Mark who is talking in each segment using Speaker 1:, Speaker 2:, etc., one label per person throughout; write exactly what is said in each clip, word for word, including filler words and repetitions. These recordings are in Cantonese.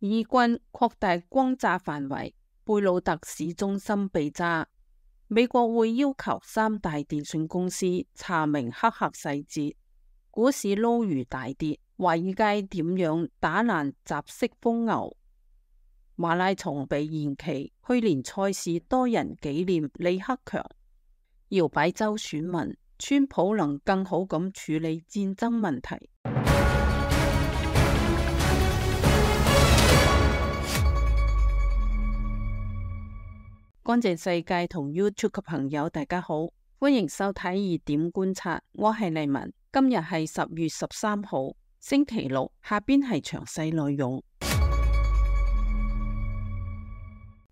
Speaker 1: 以軍擴大轟炸範圍，貝魯特市中心被炸。美國會要求三大電信公司查明黑客細節。股市撈魚大跌，華爾街點樣打爛雜式瘋牛？馬拉松被延期，去年賽事多人紀念李克強。搖擺州選民，川普能更好咁處理戰爭問題。乾淨世界同 YouTube 嘅朋友大家好，歡迎收睇熱點觀察，我係麗文。今日係十月十三號星期六，下邊係詳細內容。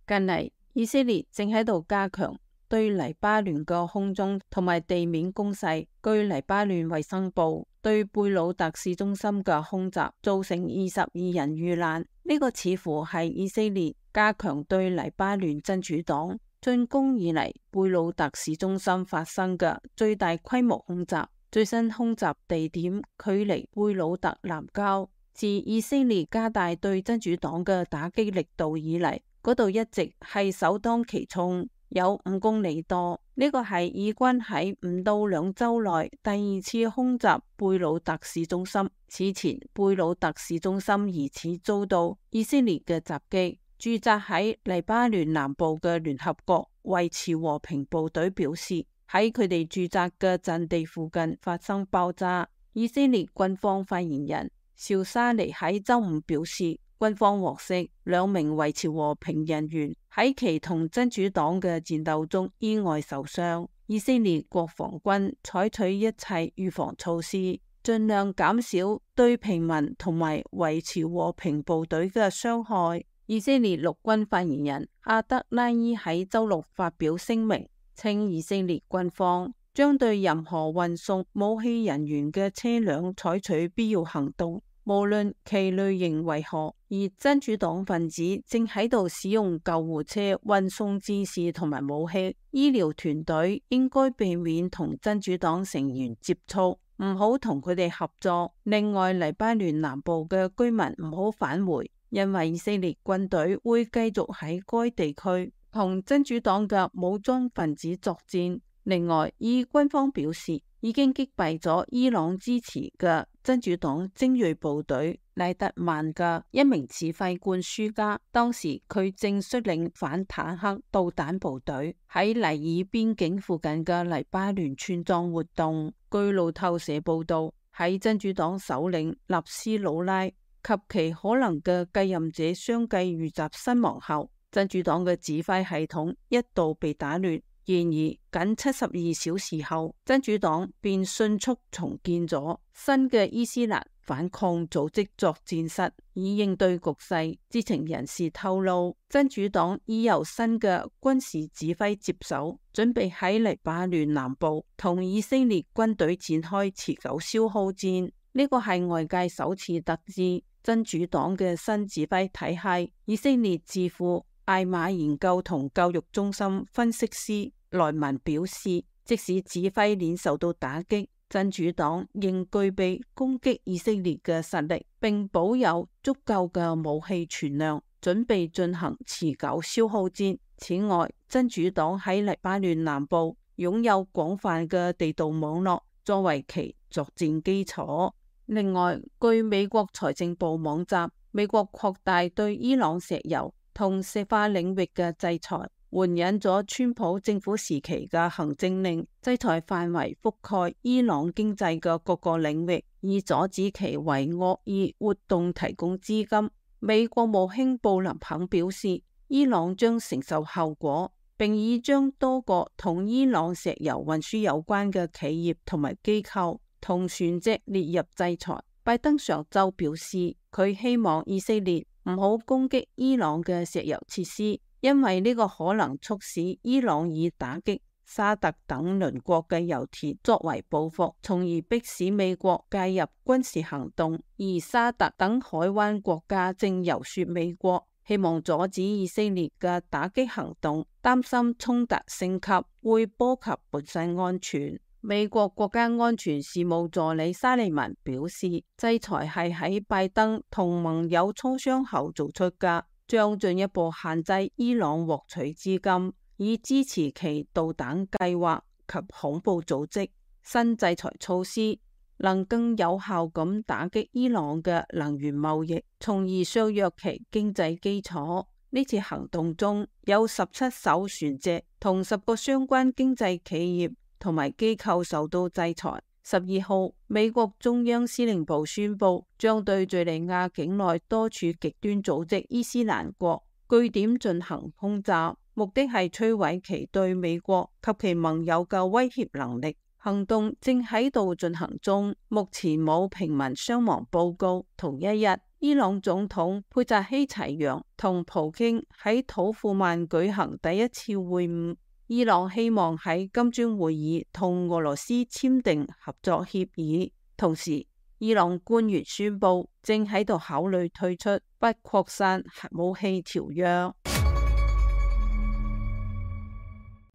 Speaker 1: 近嚟以色列正喺度加強對黎巴嫩嘅空中同埋地面攻勢。據黎巴嫩衛生部，對貝魯特市中心嘅空襲造成二十二人遇難，呢、這個似乎係以色列加強對黎巴嫩真主黨進攻以嚟貝魯特市中心發生嘅最大規模空襲。最新空襲地點距離貝魯特南郊，自以色列加大對真主黨嘅打擊力度以嚟，嗰度一直係首當其衝，有五公里多。呢個係以軍喺唔到兩周內第二次空襲貝魯特市中心。此前貝魯特市中心疑似遭到以色列嘅襲擊。駐紮喺黎巴嫩南部嘅聯合國維持和平部隊表示，喺佢哋駐紮嘅陣地附近發生爆炸。以色列軍方發言人紹沙尼喺周五表示，軍方獲悉兩名維持和平人員喺其同真主黨嘅戰鬥中意外受傷。以色列國防軍採取一切預防措施，盡量減少對平民同埋維持和平部隊嘅傷害。以色列陸軍發言人阿德拉伊喺周六發表聲明，稱以色列軍方將對任何運送武器人員嘅車輛採取必要行動，無論其類型為何。而真主黨分子正喺度使用救護車運送戰士同埋武器，醫療團隊應該避免同真主黨成員接觸，唔好同佢哋合作。另外，黎巴嫩南部嘅居民唔好返回，因為以色列軍隊會繼續喺該地區同真主黨嘅武裝分子作戰。另外，以軍方表示已經擊斃咗伊朗支持嘅真主黨精銳部隊拉德曼嘅一名指揮官舒加，當時佢正率領反坦克導彈部隊喺尼爾邊境附近嘅黎巴嫩村莊活動。據路透社報道，喺真主黨首領納斯魯拉及其可能嘅繼任者相繼遇襲身亡後，真主黨嘅指揮系統一度被打亂。然而，僅七十二小時後，真主黨便迅速重建咗新嘅伊斯蘭反抗組織作戰室，以應對局勢。知情人士透露，真主黨已由新嘅軍事指揮接手，準備喺黎巴嫩南部同以色列軍隊展開持久消耗戰。呢個係外界首次得知真主黨嘅新指揮體系。以色列智庫艾瑪研究同教育中心分析師萊文表示，即使指揮鏈受到打擊，真主黨仍具備攻擊以色列嘅實力，並保有足夠嘅武器存量，準備進行持久消耗戰。此外，真主黨喺黎巴嫩南部擁有廣泛嘅地道網絡，作為其作戰基礎。另外，據美國財政部網站，美國擴大對伊朗石油同石化領域嘅制裁，援引咗川普政府時期嘅行政令，制裁範圍覆蓋伊朗經濟嘅各個領域，以阻止其為惡意活動提供資金。美國務卿布林肯表示，伊朗將承受後果，並已將多個同伊朗石油運輸有關嘅企業同埋機構同船隻列入制裁。拜登上周表示，佢希望以色列唔好攻擊伊朗嘅石油設施，因為呢個可能促使伊朗以打擊沙特等鄰國嘅油田作為報復，從而迫使美國介入軍事行動。而沙特等海灣國家正遊說美國，希望阻止以色列嘅打擊行動，擔心衝突升級會波及本身安全。美國國家安全事務助理沙利文表示，制裁係喺拜登同盟友磋商後做出嘅，將進一步限制伊朗獲取資金，以支持其導彈計劃及恐怖組織。新制裁措施能更有效咁打擊伊朗嘅能源貿易，從而削弱其經濟基礎。呢次行動中有十七艘船隻同十個相關經濟企業同埋機構受到制裁。十二號，美國中央司令部宣布將對敘利亞境內多處極端組織伊斯蘭國據點進行轟炸，目的係摧毀其對美國及其盟友嘅威脅能力。行動正喺度進行中，目前冇平民傷亡報告。同一日，伊朗總統佩扎希齊揚同普京喺土庫曼舉行第一次會晤。伊朗希望喺金磚會議同俄羅斯簽訂合作協議，同時伊朗官員宣布正喺度考慮退出不擴散核武器條約。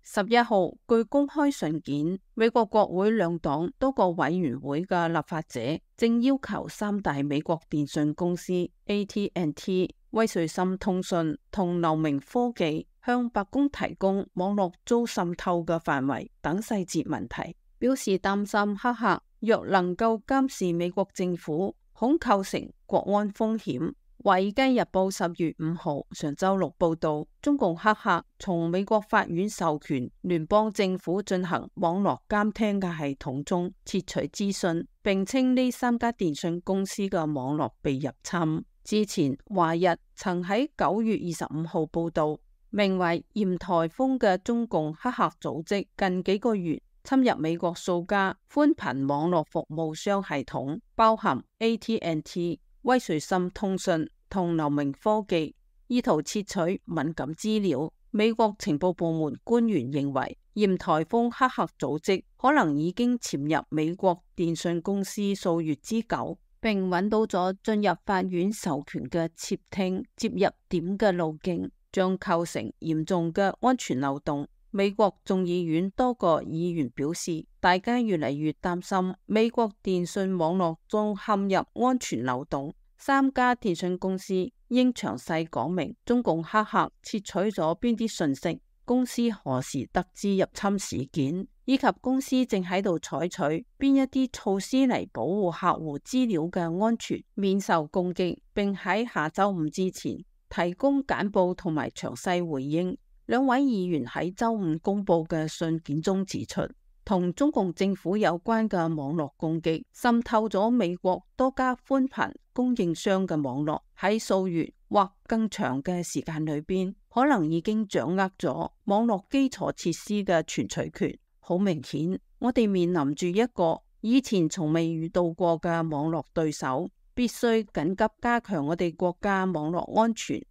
Speaker 1: 十一號，據公開信件，美國國會兩黨多個委員會嘅立法者正要求三大美國電信公司 A T and T、威瑞森通訊同流明科技向白宮提供網絡遭滲透嘅範圍等細節問題，表示擔心黑客若能夠監視美國政府，恐構成國安風險。華爾街日報十月五號上周六報道，中共黑客從美國法院授權聯邦政府進行網絡監聽嘅系統中竊取資訊，並稱呢三家電信公司嘅網絡被入侵。之前華日曾喺九月二十五號報道，名為鹽台風嘅中共黑客組織近幾個月侵入美國數家寬頻網絡服務商系統，包含 A T and T、威瑞森通訊同流明科技，意圖竊取敏感資料。美國情報部門官員認為，鹽台風黑客組織可能已經潛入美國電信公司數月之久，並揾到咗進入法院授權嘅竊聽接入點嘅路徑，將構成嚴重嘅安全漏洞。美國眾議院多個議員表示，大家越嚟越擔心美國電信網絡中陷入安全漏洞。三家電信公司應詳細講明中共黑客竊取咗邊啲信息，公司何時得知入侵事件，以及公司正喺度採取邊一啲措施嚟保護客戶資料嘅安全，免受攻擊，並喺下周五之前提供簡報同埋詳細回應。兩位議員喺周五公布嘅信件中指出，同中共政府有關嘅網絡攻擊滲透咗美國多家寬頻供應商嘅網絡，喺數月或更長嘅時間裏邊，可能已經掌握咗網絡基礎設施嘅存取權。好明顯，我哋面臨住一個以前從未遇到過嘅網絡對手，必須緊急加強我哋國家網絡安全。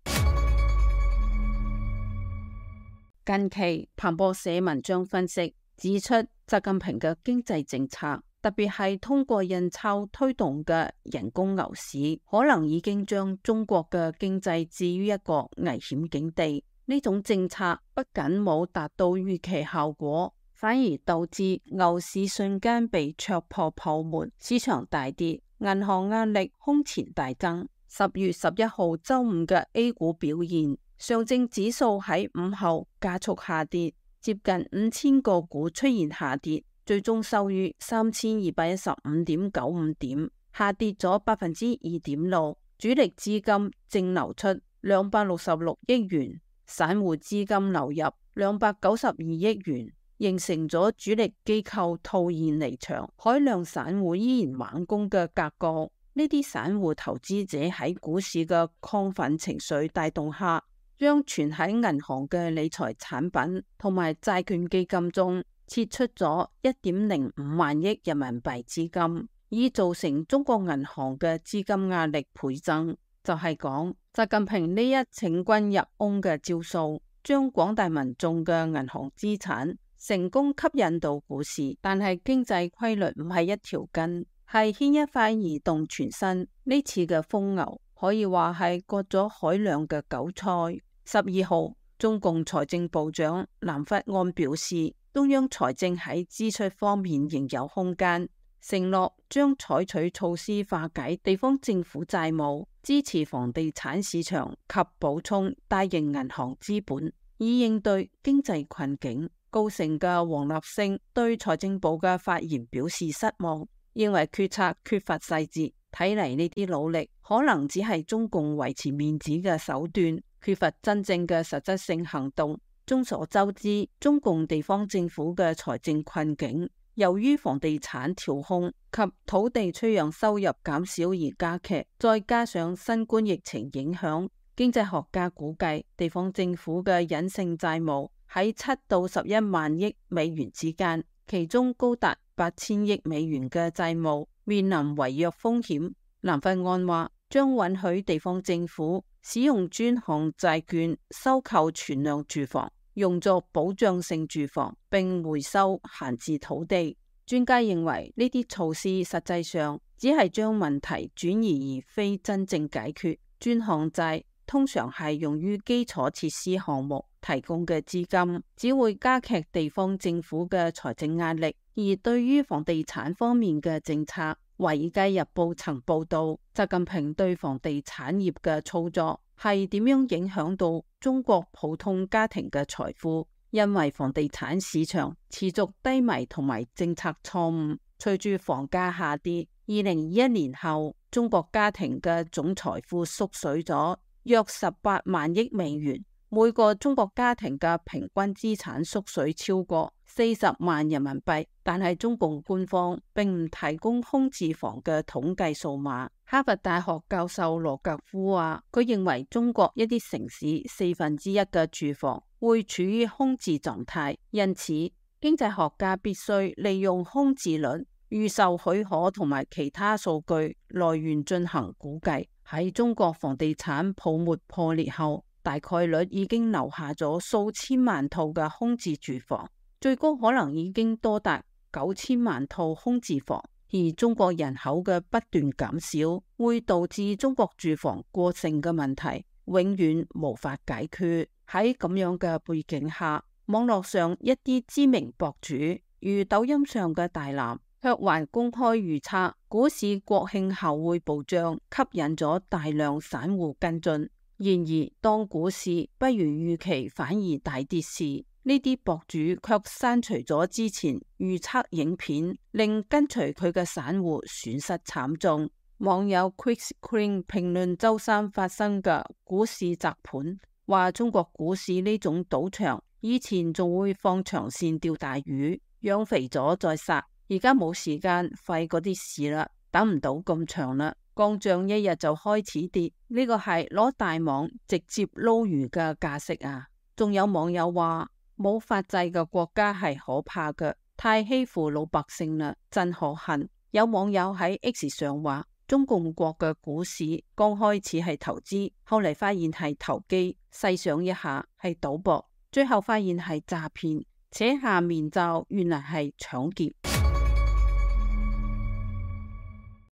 Speaker 1: 近期彭博社文章分析指出，習近平嘅經濟政策，特別係通過印鈔推動嘅人工牛市，可能已經將中國嘅經濟置於一個危險境地。呢種政策不僅冇達到預期效果，反而導致牛市瞬間被戳破泡沫，市場大跌，銀行壓力空前大增。十月十一號周五嘅 A 股表現，上證指數喺午後加速下跌，接近五千個股出現下跌，最終收於三千二百一十五點九五點，下跌咗百分之二點六。主力資金淨流出兩百六十六億元，散戶資金流入兩百九十二億元，形成咗主力機構套現離場，海量散戶依然猛攻嘅格局。呢啲散戶投資者喺股市嘅亢奮情緒帶動下，將存喺銀行嘅理財產品同埋債券基金中撤出咗一點零五萬億人民幣資金，以造成中國銀行嘅資金壓力倍增。就係講習近平呢一請君入甕嘅招數，將廣大民眾嘅銀行資產成功吸引到股市，但係經濟規律唔係一條筋，係牽一髮而動全身。呢次嘅瘋牛可以話係割咗海量嘅韭菜。十二號，中共財政部長藍弗安表示，中央財政喺支出方面仍有空間，承諾將採取措施化解地方政府債務，支持房地產市場及補充大型銀行資本，以應對經濟困境。高盛嘅王立勝對財政部嘅發言表示失望，認為決策缺乏細節。睇嚟呢啲努力可能只係中共維持面子嘅手段，缺乏真正嘅實質性行動。眾所周知，中共地方政府嘅財政困境，由於房地產調控及土地出讓收入減少而加劇，再加上新冠疫情影響，經濟學家估計地方政府嘅隱性債務喺七到十一萬億美元之間，其中高達八千億美元嘅債務面臨違約風險。南法案話將允許地方政府使用專項債券收購存量住房，用作保障性住房，並回收閒置土地。專家認為呢啲措施實際上只係將問題轉移，而非真正解決。專項債通常係用於基礎設施項目提供嘅資金，只會加劇地方政府嘅財政壓力。而對於房地產方面嘅政策，《華爾街日報》曾報道，習近平對房地產業嘅操作係點樣影響到中國普通家庭嘅財富。因為房地產市場持續低迷同埋政策錯誤，隨住房價下跌，二零二一年後中國家庭嘅總財富縮水咗約十八萬億美元，每個中國家庭嘅平均資產縮水超過四十萬人民幣。但係中共官方並唔提供空置房嘅統計數碼。哈佛大學教授羅格夫話，佢認為中國一啲城市四分之一嘅住房會處於空置狀態，因此經濟學家必須利用空置率、預售許可同埋其他數據來源進行估計。喺中國房地產泡沫破裂後，大概率已經留下咗數千萬套嘅空置住房，最高可能已經多達九千萬套空置房。而中國人口嘅不斷減少，會導致中國住房過剩嘅問題永遠無法解決。喺咁樣嘅背景下，網絡上一啲知名博主，如抖音上嘅大藍，卻還公開預測股市國慶後會暴漲，吸引咗大量散戶跟進。然而，當股市不如預期反而大跌時，呢啲博主卻刪除咗之前預測影片，令跟隨佢嘅散戶損失慘重。網友 Quick Screen 評論周三發生嘅股市砸盤，話中國股市呢種賭場以前仲會放長線釣大魚，養肥咗再殺，而家冇時間費嗰啲事啦，等唔到咁長啦，降漲一日就開始跌，呢個係攞大網直接撈魚嘅架勢啊！仲有網友話，冇法制嘅國家係可怕嘅，太欺負老百姓啦，真可恨。有網友喺 X 上話，中共國嘅股市剛開始係投資，後嚟發現係投機，細想一下係賭博，最後發現係詐騙，扯下面罩原來係搶劫。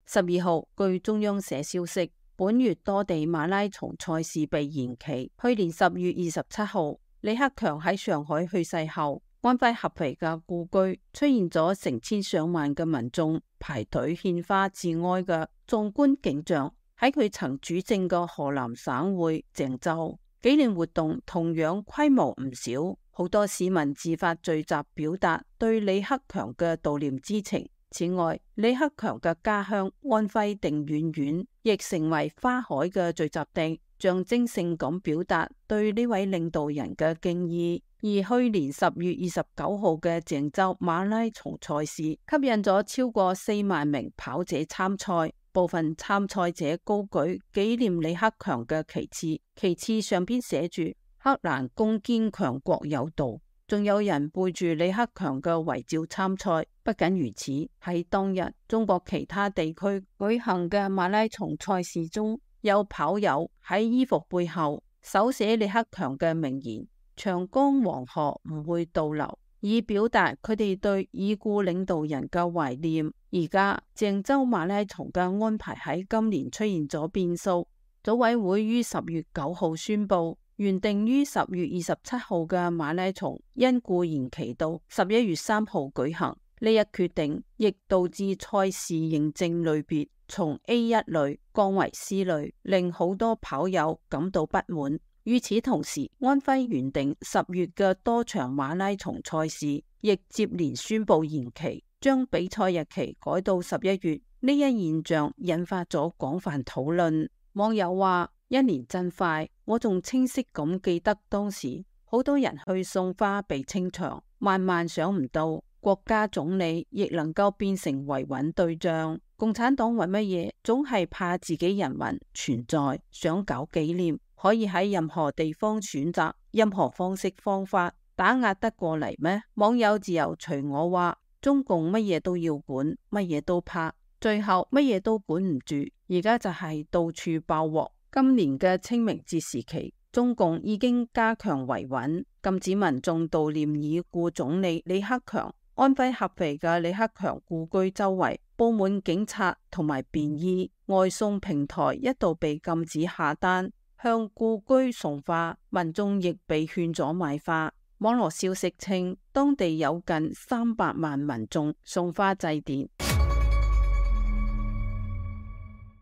Speaker 1: 十二號，據中央社消息，本月多地馬拉松賽事被延期。去年十月二十七號，李克強喺上海去世後，安徽合肥嘅故居出現咗成千上萬嘅民眾排隊獻花致哀嘅壯觀景象。喺佢曾主政嘅河南省會鄭州，紀念活動同樣規模唔少，好多市民自發聚集表達對李克強嘅悼念之情。此外，李克強嘅家鄉安徽定遠縣亦成為花海嘅聚集地，象徵性咁表達對呢位領導人嘅敬意。而去年十月二十九號嘅鄭州馬拉松賽事，吸引咗超過四萬名跑者參賽，部分參賽者高舉紀念李克強嘅旗幟，旗幟上邊寫住克蘭攻堅強國有道。仲有人背住李克強嘅遺照參賽。不僅如此，喺當日中國其他地區舉行嘅馬拉松賽事中，有跑友喺衣服背後手寫李克強嘅名言：長江黃河唔會倒流，以表達佢哋對已故領導人嘅懷念。而家鄭州馬拉松嘅安排喺今年出現咗變數，組委會於十月九號宣布，原定於十月二十七號嘅馬拉松因故延期到十一月三號舉行。呢一決定亦導致賽事認證類別從 A 一 類降為 C 類，令好多跑友感到不滿。與此同時，安徽原定十月嘅多場馬拉松賽事亦接連宣布延期，將比賽日期改到十一月。呢一現象引發咗廣泛討論。網友話：一年真快，我仲清晰咁記得當時好多人去送花被清場，萬萬想唔到國家總理亦能夠變成維穩對象。共產黨為乜嘢總係怕自己人民存在，想搞紀念，可以喺任何地方選擇任何方式方法打壓得過嚟咩？網友自由隨我話，中共乜嘢都要管，乜嘢都怕，最後乜嘢都管唔住，而家就係到處爆鑊。今年嘅清明節時期，中共已經加強維穩，禁止民眾悼念已故總理李克強。安徽合肥嘅李克強故居周圍布滿警察同埋便衣，外送平台一度被禁止下單向故居送花，民眾亦被勸咗買花。網絡消息稱，當地有近三百萬民眾送花祭奠。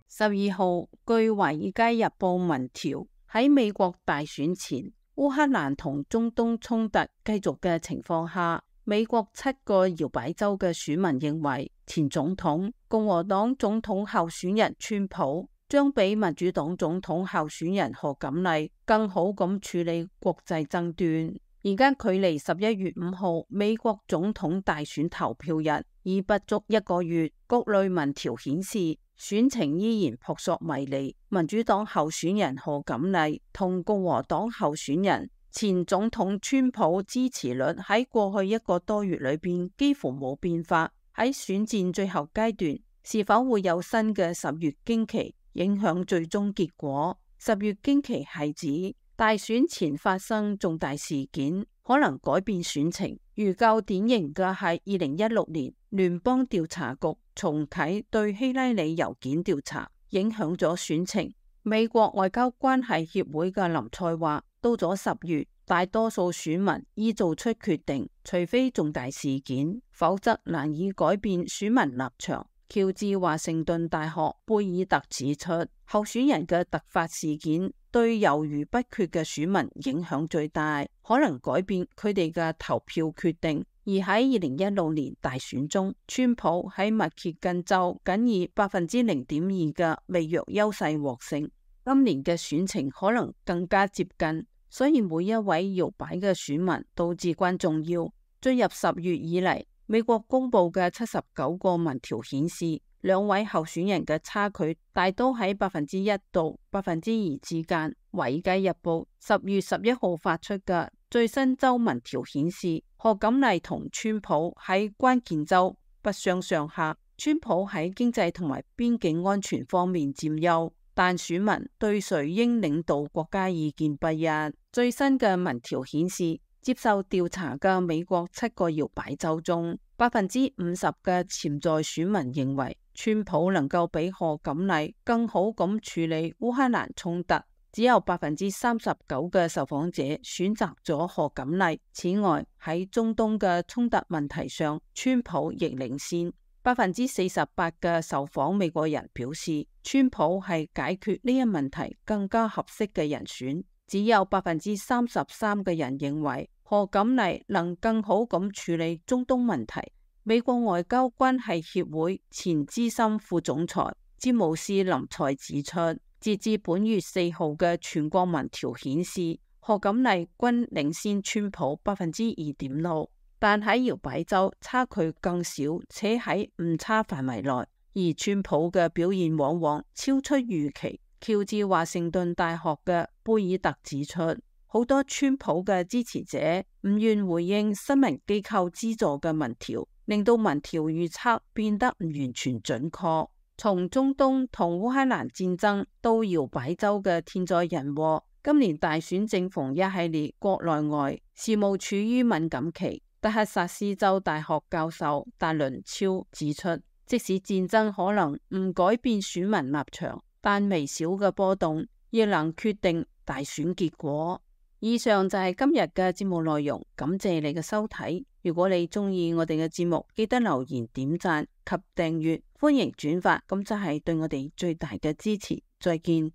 Speaker 1: 十二號，據華爾街日報民調，喺美國大選前，烏克蘭同中東衝突繼續嘅情況下，美國七個搖擺州嘅選民認為，前總統共和黨總統候選人川普將比民主黨總統候選人賀錦麗更好咁處理國際爭端。而家距離十一月五號美國總統大選投票日已不足一個月，各類民調顯示選情依然撲朔迷離。民主黨候選人賀錦麗同共和黨候選人前總統川普支持率喺過去一個多月裏邊幾乎冇變化。喺選戰最後階段，是否會有新嘅十月驚奇影響最終結果？十月驚奇係指大選前發生重大事件，可能改變選情。如較典型嘅係二零一六年聯邦調查局重啟對希拉里郵件調查，影響咗選情。美國外交關係協會嘅林賽話，到咗十月，大多數選民已做出決定，除非重大事件，否則難以改變選民立場。喬治華盛頓大學貝爾特指出，候選人嘅突發事件對猶豫不決嘅選民影響最大，可能改變佢哋嘅投票決定。而喺二零一六年大選中，川普喺密歇根州僅以百分之零點二嘅微弱優勢獲勝。今年嘅選情可能更加接近，所以每一位搖擺嘅選民都至關重要。進入十月以嚟，美國公布嘅七十九個民調顯示，兩位候選人嘅差距大都喺百分之一到百分之二之間。華爾街日報十月十一號發出嘅最新州民調顯示，賀錦麗同川普喺關鍵州不相上下，川普喺經濟同埋邊境安全方面佔優，但選民對誰應領導國家意見不一。最新嘅民調顯示，接受調查嘅美國七個搖擺州中，百分之五十嘅潛在選民認為川普能夠比賀錦麗更好咁處理烏克蘭衝突，只有百分之三十九嘅受訪者選擇咗賀錦麗。此外，喺中東嘅衝突問題上，川普亦領先。百分之四十八嘅受訪美國人表示，川普係解決呢一問題更加合適嘅人選。只有百分之三十三嘅人認為賀錦麗能更好咁處理中東問題。美國外交關係協會前資深副總裁詹姆斯林賽指出，截至本月四號嘅全國民調顯示，賀錦麗均領先川普百分之二點六，但喺搖擺州差距更少，且喺誤差範圍內，而川普嘅表現往往超出預期。喬治華盛頓大學嘅貝爾特指出，好多川普嘅支持者唔願回應新聞機構資助嘅民調，令到民調預測變得唔完全準確。從中東同烏克蘭戰爭到搖擺州嘅天災人禍，今年大選正逢一系列國內外事務處於敏感期。德克薩斯州大學教授達倫超指出，即使戰爭可能唔改變選民立場，但微小嘅波動亦能決定大選結果。以上就係今日嘅節目內容，感謝你嘅收睇。如果你鍾意我哋嘅節目，記得留言、點讚及訂閱，歡迎轉發，咁就係對我哋最大嘅支持。再見。